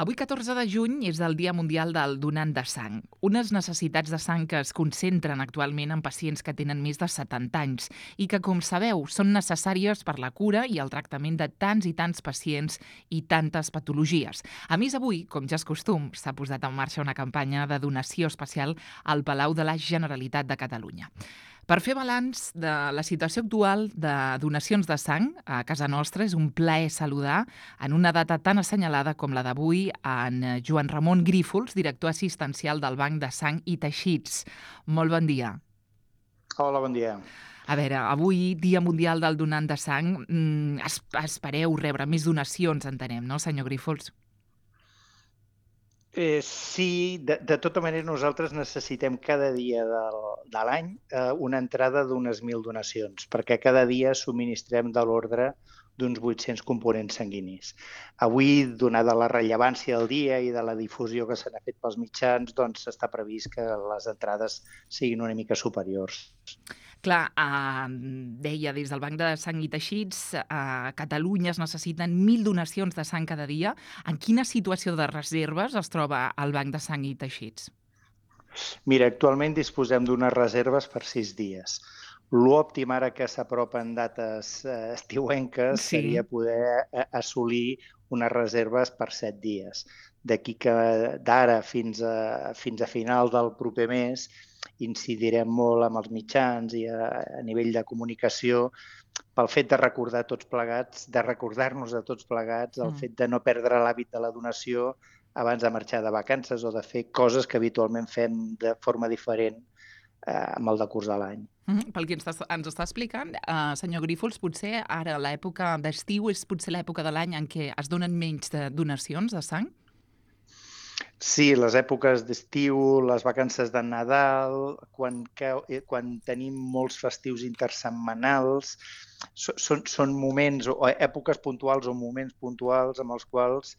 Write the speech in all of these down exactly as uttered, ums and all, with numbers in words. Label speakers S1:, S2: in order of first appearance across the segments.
S1: Avui, catorze de juny, és el Dia Mundial del Donant de Sang, unes necessitats de sang que es concentren actualment en pacients que tenen més de setanta anys i que, com sabeu, són necessàries per la cura i el tractament de tants i tants pacients i tantes patologies. A més, avui, com ja és costum, s'ha posat en marxa una campanya de donació especial al Palau de la Generalitat de Catalunya. Per fer balanç de la situació actual de donacions de sang a casa nostra, és un plaer saludar en una data tan assenyalada com la d'avui en Joan Ramon Grífols, director assistencial del Banc de Sang i Teixits. Molt bon dia.
S2: Hola, bon dia.
S1: A veure, avui, Dia Mundial del Donant de Sang, es, espereu rebre més donacions, entenem, no, senyor Grífols?
S2: Eh, sí, de, de tota manera nosaltres necessitem cada dia del, de l'any eh, una entrada d'unes mil donacions, perquè cada dia subministrem de l'ordre d'uns vuit-cents components sanguinis. Avui, donada la rellevància del dia i de la difusió que se n'ha fet pels mitjans, doncs està previst que les entrades siguin una mica superiors.
S1: Clar, eh, deia des del Banc de Sang i Teixits, a Catalunya es necessiten mil donacions de sang cada dia. En quina situació de reserves es troba el Banc de Sang i Teixits?
S2: Mira, actualment disposem d'unes reserves per sis dies. L'òptim ara que s'apropen dates eh, estiuenques
S1: Sí.
S2: seria poder assolir unes reserves per set dies. D'aquí que d'ara fins a, fins a final del proper mes incidirem molt amb els mitjans i a, a nivell de comunicació pel fet de recordar tots plegats, de recordar-nos a tots plegats el
S1: Mm.
S2: fet de no perdre l'hàbit de la donació abans de marxar de vacances o de fer coses que habitualment fem de forma diferent eh, amb el decurs de l'any.
S1: Mm, pel que ens està, ens està explicant, eh, senyor Grífols, potser ara l'època d'estiu és potser l'època de l'any en què es donen menys de donacions de sang?
S2: Sí, les èpoques d'estiu, les vacances de Nadal, quan, quan tenim molts festius intersetmanals, són, són moments o èpoques puntuals o moments puntuals amb els quals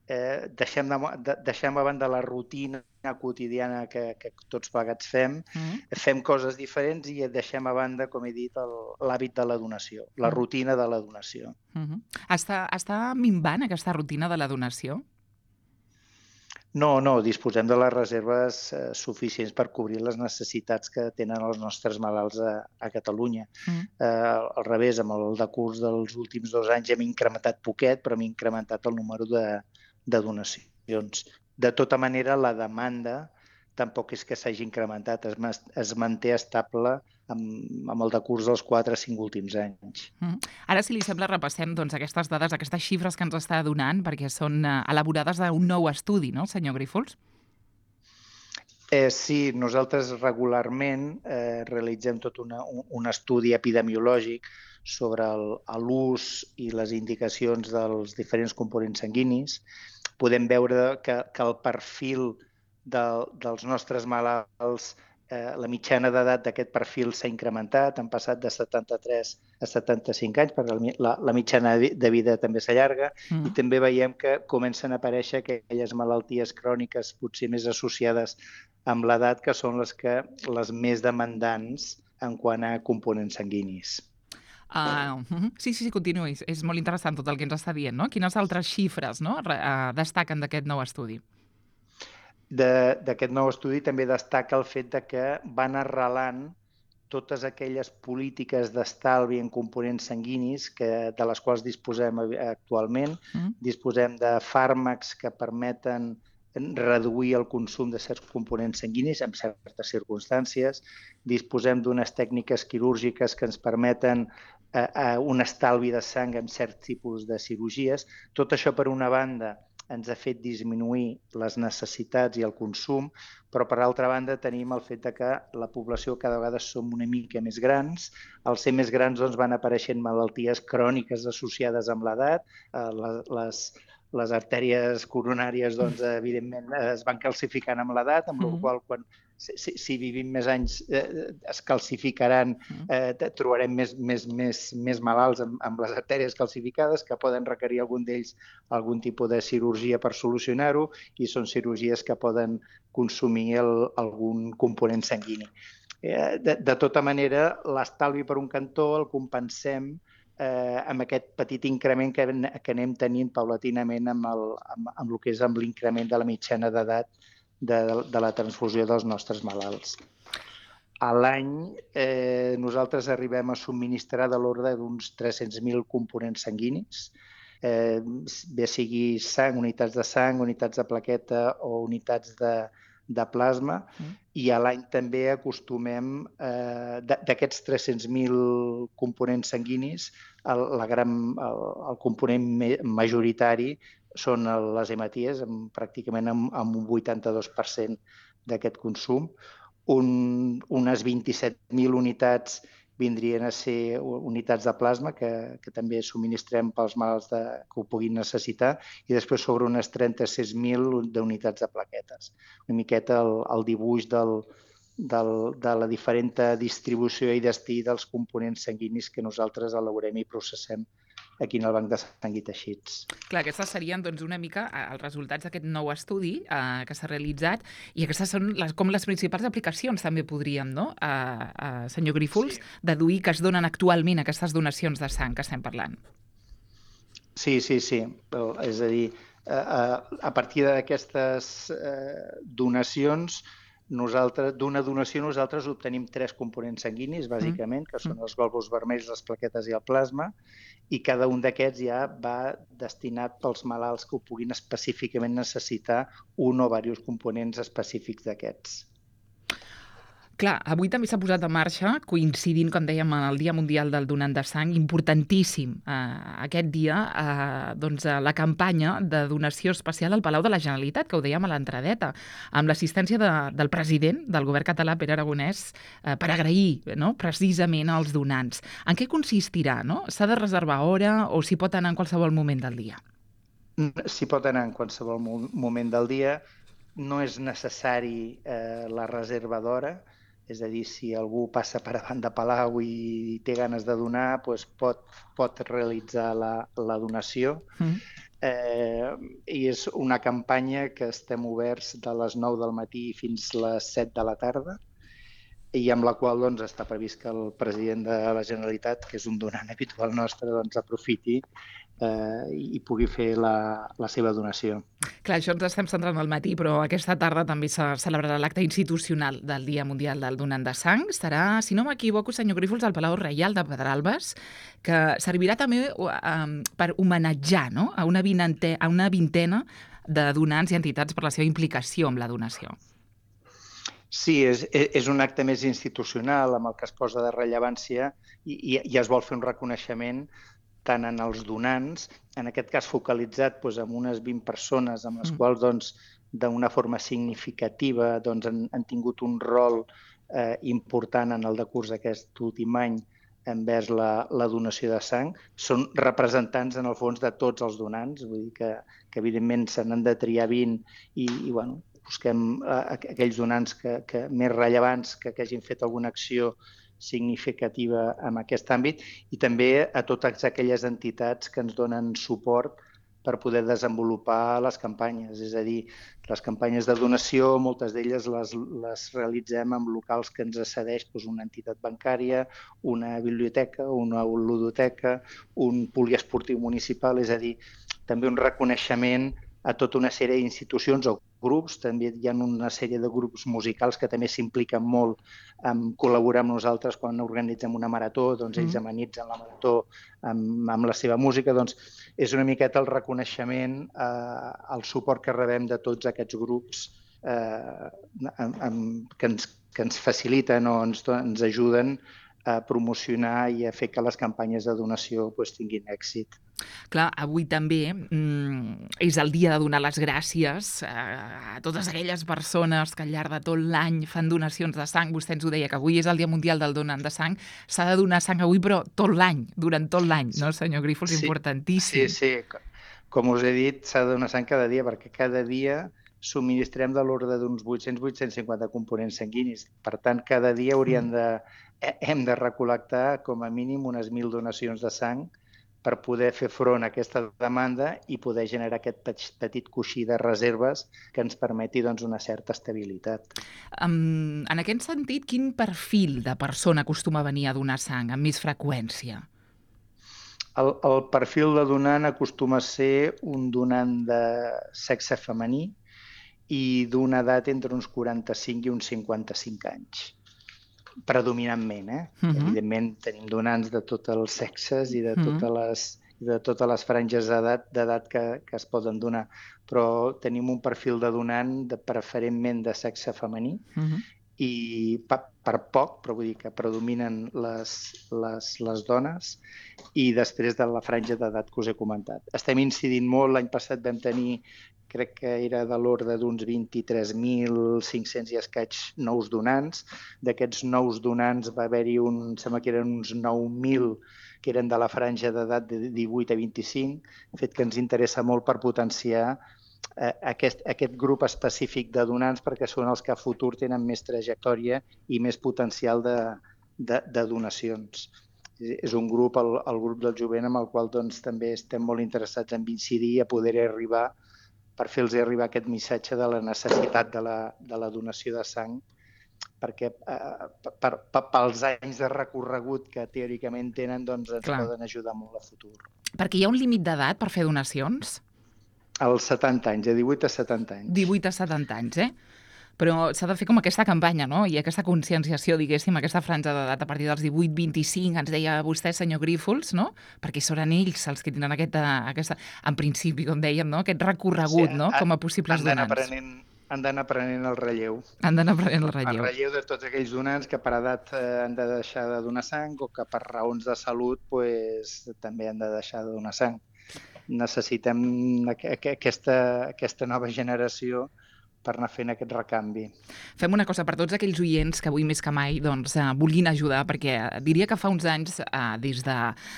S2: eh, deixem, de, deixem a banda la rutina quotidiana que, que tots plegats fem,
S1: Mm.
S2: fem coses diferents i deixem a banda, com he dit, l'hàbit de la donació, la
S1: Mm.
S2: rutina de la donació.
S1: Mm-hmm. Està, està minvant aquesta rutina de la donació?
S2: No, no, disposem de les reserves eh, suficients per cobrir les necessitats que tenen els nostres malalts a, a Catalunya.
S1: Mm.
S2: Eh, al revés, amb el decurs dels últims dos anys hem incrementat poquet, però hem incrementat el número de, de donacions. De tota manera, la demanda tampoc és que s'hagi incrementat, es, es manté estable amb, amb el decurs dels quatre o cinc últims anys.
S1: Mm. Ara, si li sembla, repassem doncs, aquestes dades, aquestes xifres que ens està donant, perquè són eh, elaborades d'un nou estudi, no, senyor Grífols?
S2: Eh, sí, nosaltres regularment eh, realitzem tot una, un, un estudi epidemiològic sobre l'ús i les indicacions dels diferents components sanguinis. Podem veure que, que el perfil de, dels nostres malalts, eh, la mitjana d'edat d'aquest perfil s'ha incrementat, han passat de setanta-tres a setanta-cinc anys, perquè la, la mitjana de vida també s'allarga, mm. i també veiem que comencen a aparèixer aquelles malalties cròniques potser més associades amb l'edat, que són les, que, les més demandants en quant a components sanguinis.
S1: Uh, sí, sí, sí, continuï. És molt interessant tot el que ens està dient, no? Quines altres xifres, no, uh, destaquen d'aquest nou estudi?
S2: D'aquest nou estudi també destaca el fet de que van arrelant totes aquelles polítiques d'estalvi en components sanguinis que, de les quals disposem actualment. Mm. Disposem de fàrmacs que permeten reduir el consum de certs components sanguinis en certes circumstàncies. Disposem d'unes tècniques quirúrgiques que ens permeten eh, un estalvi de sang en certs tipus de cirurgies. Tot això, per una banda, ens ha fet disminuir les necessitats i el consum, però per altra banda tenim el fet de que la població cada vegada som una mica més grans. Al ser més grans doncs, van apareixent malalties cròniques associades amb l'edat, eh, les, les les artèries coronàries, doncs, evidentment, es van calcificant amb l'edat, amb la mm. qual quan si, si vivim més anys eh, es calcificaran, eh, trobarem més, més, més, més malalts amb, amb les artèries calcificades, que poden requerir algun d'ells algun tipus de cirurgia per solucionar-ho, i són cirurgies que poden consumir el, algun component sanguini. Eh, de, de tota manera, l'estalvi per un cantó el compensem eh, amb aquest petit increment que, que anem tenint paulatinament amb, el, amb, amb el que és amb l'increment de la mitjana d'edat de, de la transfusió dels nostres malalts. A l'any eh, nosaltres arribem a subministrar de l'ordre d'uns tres-cents mil components sanguinis, eh, bé sigui sang, unitats de sang, unitats de plaqueta o unitats de, de plasma, mm. i a l'any també acostumem, eh, d'aquests tres-cents mil components sanguinis, el, la gran, el, el component majoritari són les hematies, amb, pràcticament amb, amb un vuitanta-dos per cent d'aquest consum. Un, unes vint-i-set mil unitats vindrien a ser unitats de plasma que, que també subministrem pels malalts de, que ho puguin necessitar, i després sobre unes trenta-sis mil d'unitats de plaquetes. Una miqueta el, el dibuix del, del, de la diferent distribució i destí dels components sanguinis que nosaltres elaborem i processem aquí en el Banc de Sang i Teixits.
S1: Clar, aquestes serien doncs, una mica els resultats d'aquest nou estudi eh, que s'ha realitzat, i aquestes són les, com les principals aplicacions, també podríem, no? Eh, eh, senyor Grífols, sí. deduir que es donen actualment aquestes donacions de sang que estem parlant.
S2: Sí, sí, sí. És a dir, eh, a partir d'aquestes eh, donacions, nosaltres, d'una donació nosaltres obtenim tres components sanguinis, bàsicament, que són els glòbuls vermells, les plaquetes i el plasma, i cada un d'aquests ja va destinat pels malalts que ho puguin específicament necessitar un o diversos components específics d'aquests.
S1: Clar, avui també s'ha posat en marxa, coincidint, com dèiem, amb el Dia Mundial del Donant de Sang, importantíssim eh, aquest dia, eh, doncs, la campanya de donació especial al Palau de la Generalitat, que ho dèiem a l'entradeta, amb l'assistència de, del president del govern català, Pere Aragonès, eh, per agrair, no?, precisament als donants. En què consistirà, no? S'ha de reservar hora o s'hi pot anar en qualsevol moment del dia?
S2: S'hi pot anar en qualsevol moment del dia. No és necessari eh, la reserva d'hora. És a dir, si algú passa per davant de Palau i té ganes de donar, doncs pot, pot realitzar la, la donació. Mm. Eh, I és una campanya que estem oberts de les nou del matí fins les set de la tarda, i amb la qual doncs, està previst que el president de la Generalitat, que és un donant habitual nostre, doncs, aprofiti eh, i pugui fer la, la seva donació.
S1: Clar, això ens estem centrant al matí, però aquesta tarda també se celebrarà l'acte institucional del Dia Mundial del Donant de Sang. Estarà, si no m'equivoco, senyor Grífols, al Palau Reial de Pedralbes, que servirà també um, per homenatjar, no?, a una, vinente, a una vintena de donants i entitats per la seva implicació amb la donació.
S2: Sí, és, és un acte més institucional amb el que es posa de rellevància i, i, i es vol fer un reconeixement tant en els donants, en aquest cas focalitzat doncs, en unes vint persones amb les mm. quals doncs, d'una forma significativa doncs, han, han tingut un rol eh, important en el decurs d'aquest últim any envers la, la donació de sang. Són representants, en el fons, de tots els donants, vull dir que, que evidentment se n'han de triar vint i, i bueno, busquem eh, aquells donants que, que, més rellevants que, que hagin fet alguna acció significativa en aquest àmbit, i també a totes aquelles entitats que ens donen suport per poder desenvolupar les campanyes. És a dir, les campanyes de donació, moltes d'elles les, les realitzem en locals que ens cedeix doncs, una entitat bancària, una biblioteca, una ludoteca, un poliesportiu municipal, és a dir, també un reconeixement a tota una sèrie d'institucions o grups. També hi ha una sèrie de grups musicals que també s'impliquen molt en col·laborar amb nosaltres quan organitzem una marató, doncs ells amenitzen la marató amb, amb la seva música. Doncs és una miqueta el reconeixement, eh, el suport que rebem de tots aquests grups eh, amb, amb, que, ens, que ens faciliten o ens, ens ajuden a promocionar i a fer que les campanyes de donació pues, tinguin èxit.
S1: Clar, avui també mm, és el dia de donar les gràcies a totes aquelles persones que al llarg de tot l'any fan donacions de sang. Vostè ens ho deia, que avui és el Dia Mundial del Donant de Sang. S'ha de donar sang avui, però tot l'any, durant tot l'any, no, senyor Grífols?
S2: Sí,
S1: importantíssim.
S2: Sí, sí. Com us he dit, s'ha de donar sang cada dia, perquè cada dia subministrem de l'ordre d'uns vuit-cents a vuit-cents cinquanta components sanguinis. Per tant, cada dia hauríem de, hem de recol·lectar com a mínim unes mil donacions de sang per poder fer front a aquesta demanda i poder generar aquest petit coixí de reserves que ens permeti doncs, una certa estabilitat.
S1: Um, en aquest sentit, quin perfil de persona acostuma a venir a donar sang amb més freqüència?
S2: El, el perfil de donant acostuma a ser un donant de sexe femení i d'una edat entre uns quaranta-cinc i uns cinquanta-cinc anys. Predominantment, eh? Uh -huh. Evidentment tenim donants de tots els sexes i de totes les, de totes les franges d'edat d'edat que, que es poden donar, però tenim un perfil de donant de, preferentment de sexe femení uh -huh. i per, per poc, però vull dir que predominen les, les, les dones i després de la franja d'edat que us he comentat. Estem incidint molt, l'any passat vam tenir, crec que era de l'ordre d'uns vint-i-tres mil cinc-cents i escaig nous donants. D'aquests nous donants va haver-hi un, em sembla que eren uns nou mil que eren de la franja d'edat de divuit a vint-i-cinc, fet que ens interessa molt per potenciar eh, aquest, aquest grup específic de donants perquè són els que a futur tenen més trajectòria i més potencial de, de, de donacions. És un grup, el, el grup del jovent, amb el qual doncs, també estem molt interessats en incidir i a poder arribar per fer-los arribar aquest missatge de la necessitat de la, de la donació de sang, perquè eh, per, per, pels anys de recorregut que teòricament tenen, doncs ens Clar. poden ajudar molt a futur.
S1: Perquè hi ha un límit d'edat per fer donacions?
S2: Als setanta anys, de divuit a setanta anys.
S1: divuit a setanta anys, eh? Però s'ha de fer com aquesta campanya, no? I aquesta conscienciació, diguéssim, aquesta franja d'edat a partir dels divuit a vint-i-cinc, ens deia vostè, senyor Grífols, no? Perquè són ells els que tenen aquesta, aquesta en principi, com dèiem, no? Aquest recorregut, sí, no? Com a possibles donants.
S2: Aprenent, han d'anar aprenent el relleu.
S1: Han d'anar aprenent el relleu.
S2: El relleu de tots aquells donants que per edat eh, han de deixar de donar sang o que per raons de salut pues, també han de deixar de donar sang. Necessitem aquesta, aquesta nova generació per anar fent aquest recanvi.
S1: Fem una cosa per tots aquells oients que avui més que mai doncs, eh, vulguin ajudar, perquè diria que fa uns anys, eh, des, de,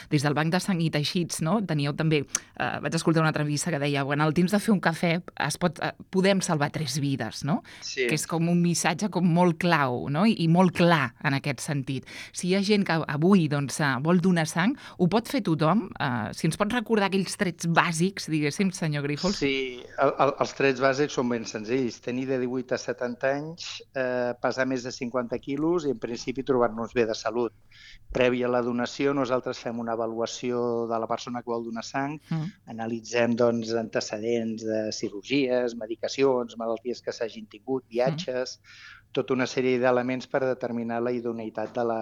S1: des del Banc de Sang i Teixits, no, teníeu també, eh, vaig escoltar una entrevista que deia, bueno, al temps de fer un cafè es pot, eh, podem salvar tres vides, no?
S2: Sí.
S1: Que és com un missatge com molt clau, no? I, i molt clar en aquest sentit. Si hi ha gent que avui doncs, eh, vol donar sang, ho pot fer tothom? Eh, si ens pot recordar aquells trets bàsics, diguéssim, senyor Grífols?
S2: Sí, el, el, els trets bàsics són ben senzills. Tenir de divuit a setanta anys, eh, pesar més de cinquanta quilos i en principi trobar-nos bé de salut. Prèvia a la donació nosaltres fem una avaluació de la persona que vol donar sang, mm. analitzem doncs, antecedents de cirurgies, medicacions, malalties que s'hagin tingut, viatges, mm. tota una sèrie d'elements per determinar la idoneïtat de la,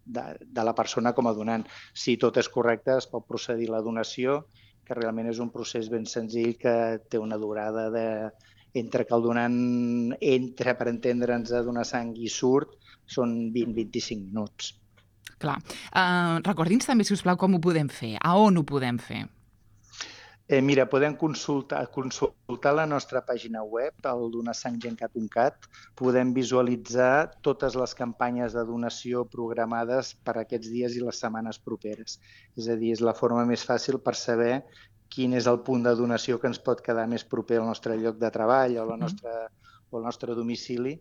S2: de, de la persona com a donant. Si tot és correcte es pot procedir a la donació, que realment és un procés ben senzill que té una durada de entre que el donant entra, per entendre'ns, a donar sang i surt, són vint a vint-i-cinc minuts.
S1: Clar. Uh, Recordi'ns també, si us plau, com ho podem fer, a on ho podem fer.
S2: Eh, mira, podem consultar, consultar la nostra pàgina web, el donasanggencat punt cat. Podem visualitzar totes les campanyes de donació programades per aquests dies i les setmanes properes. És a dir, és la forma més fàcil per saber quin és el punt de donació que ens pot quedar més proper al nostre lloc de treball o, la nostra, o el nostre domicili,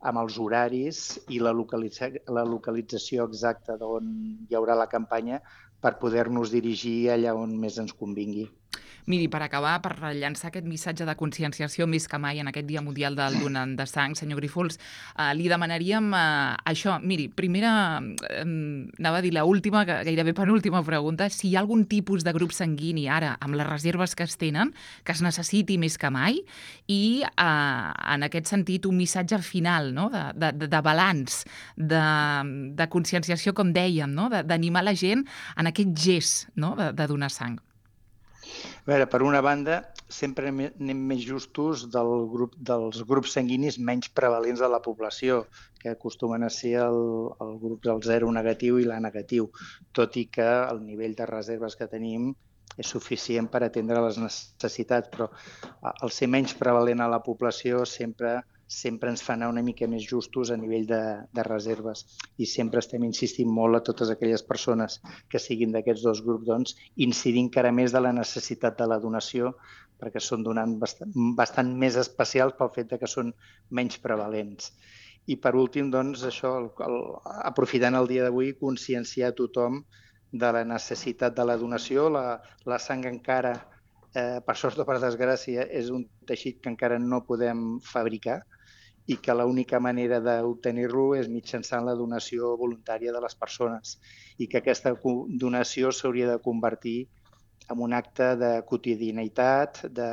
S2: amb els horaris i la, localitza, la localització exacta d'on hi haurà la campanya per poder-nos dirigir allà on més ens convingui.
S1: Miri, per acabar, per llançar aquest missatge de conscienciació més que mai en aquest Dia Mundial del Donant de Sang, senyor Grífols, eh, li demanaríem eh, això. Miri, primera, eh, anava a dir l'última, gairebé penúltima pregunta, si hi ha algun tipus de grup sanguini ara, amb les reserves que es tenen, que es necessiti més que mai, i eh, en aquest sentit un missatge final, no? de, de, de balanç, de, de conscienciació, com dèiem, no? d'animar la gent en aquest gest, no? de, de donar sang.
S2: A veure, per una banda, sempre anem més justos del grup, dels grups sanguinis menys prevalents de la població, que acostumen a ser el, el grup del zero negatiu i l'A negatiu, tot i que el nivell de reserves que tenim és suficient per atendre les necessitats, però el ser menys prevalent a la població sempre sempre ens fa anar una mica més justos a nivell de, de reserves i sempre estem insistint molt a totes aquelles persones que siguin d'aquests dos grups, doncs, incidir encara més de la necessitat de la donació perquè són donants bastant, bastant més especials pel fet de que són menys prevalents. I per últim, doncs, això, el, el, aprofitant el dia d'avui, conscienciar a tothom de la necessitat de la donació. La, la sang encara, eh, per sort o per desgràcia, és un teixit que encara no podem fabricar i que l'única manera d'obtenir-lo és mitjançant la donació voluntària de les persones i que aquesta donació s'hauria de convertir en un acte de quotidianitat, de,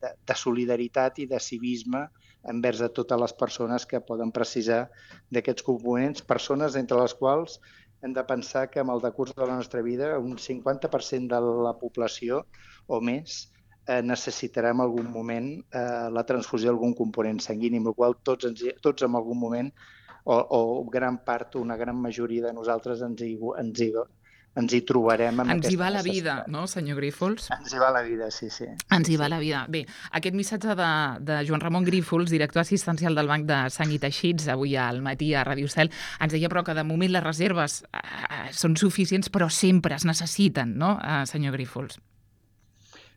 S2: de, de solidaritat i de civisme envers a totes les persones que poden precisar d'aquests components, persones entre les quals hem de pensar que amb el decurs de la nostra vida un cinquanta per cent de la població o més eh, necessitarà en algun moment eh, la transfusió d'algun component sanguini, amb la qual tots, ens, tots en algun moment o, o gran part, una gran majoria de nosaltres ens hi, ens hi, ens hi trobarem amb
S1: ens
S2: aquesta
S1: hi va la
S2: necessitat.
S1: vida, no, senyor Grífols?
S2: Ens hi va la vida, sí, sí.
S1: Ens hi
S2: sí,
S1: va
S2: sí.
S1: la vida. Bé, aquest missatge de, de Joan Ramon Grífols, director assistencial del Banc de Sang i Teixits, avui al matí a Ràdio Cel, ens deia però que de moment les reserves eh, són suficients, però sempre es necessiten, no, eh, senyor Grífols?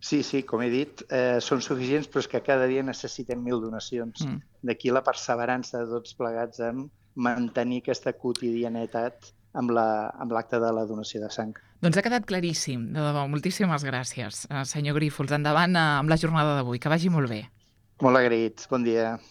S2: Sí, sí, com he dit, eh, són suficients, però és que cada dia necessitem mil donacions. Mm. D'aquí la perseverança de tots plegats en mantenir aquesta quotidianitat amb l'acte la, de la donació de sang.
S1: Doncs ha quedat claríssim. De debò, moltíssimes gràcies, senyor Grífols. Endavant amb la jornada d'avui. Que vagi molt bé.
S2: Molt agraït. Bon dia.